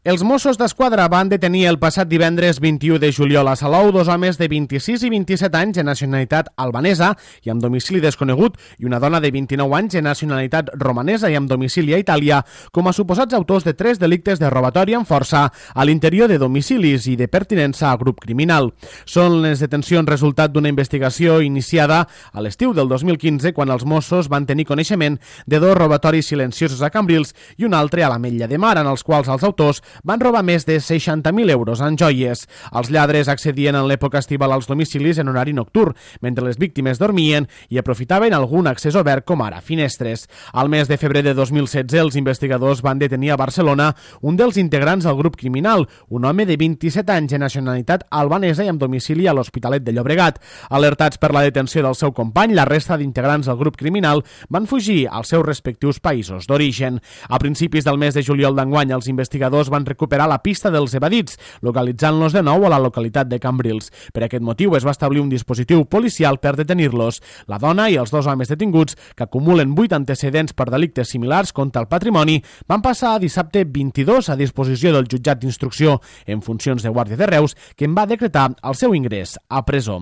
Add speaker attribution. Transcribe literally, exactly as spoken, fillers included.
Speaker 1: Els Mossos d'Esquadra van detenir el passat divendres vint-i-u de juliol a Salou dos homes de vint-i-sis i vint-i-set anys de nacionalitat albanesa i amb domicili desconegut i una dona de vint-i-nou anys de nacionalitat romanesa i amb domicili a Itàlia com a suposats autors de tres delictes de robatori amb força a l'interior de domicilis i de pertinença a grup criminal. Són les detencions resultat d'una investigació iniciada a l'estiu del dos mil quinze quan els Mossos van tenir coneixement de dos robatoris silenciosos a Cambrils i un altre a l'Ametlla de Mar en els quals els autors van robar més de seixanta mil euros en joies. Els lladres accedien en l'època estival als domicilis en horari nocturn, mentre les víctimes dormien i aprofitaven algun accés obert com ara finestres. Al mes de febrer de dos mil setze, els investigadors van detenir a Barcelona un dels integrants del grup criminal, un home de vint-i-set anys de nacionalitat albanesa i amb domicili a l'Hospitalet de Llobregat. Alertats per la detenció del seu company, la resta d'integrants del grup criminal van fugir als seus respectius països d'origen. A principis del mes de juliol d'enguany, els investigadors van recuperar la pista dels evadits, localitzant-los de nou a la localitat de Cambrils. Per aquest motiu es va establir un dispositiu policial per detenir-los. La dona i els dos homes detinguts, que acumulen vuit antecedents per delictes similars contra el patrimoni, van passar dissabte vint-i-dos a disposició del jutjat d'instrucció en funcions de Guàrdia de Reus, que en va decretar el seu ingrés a presó.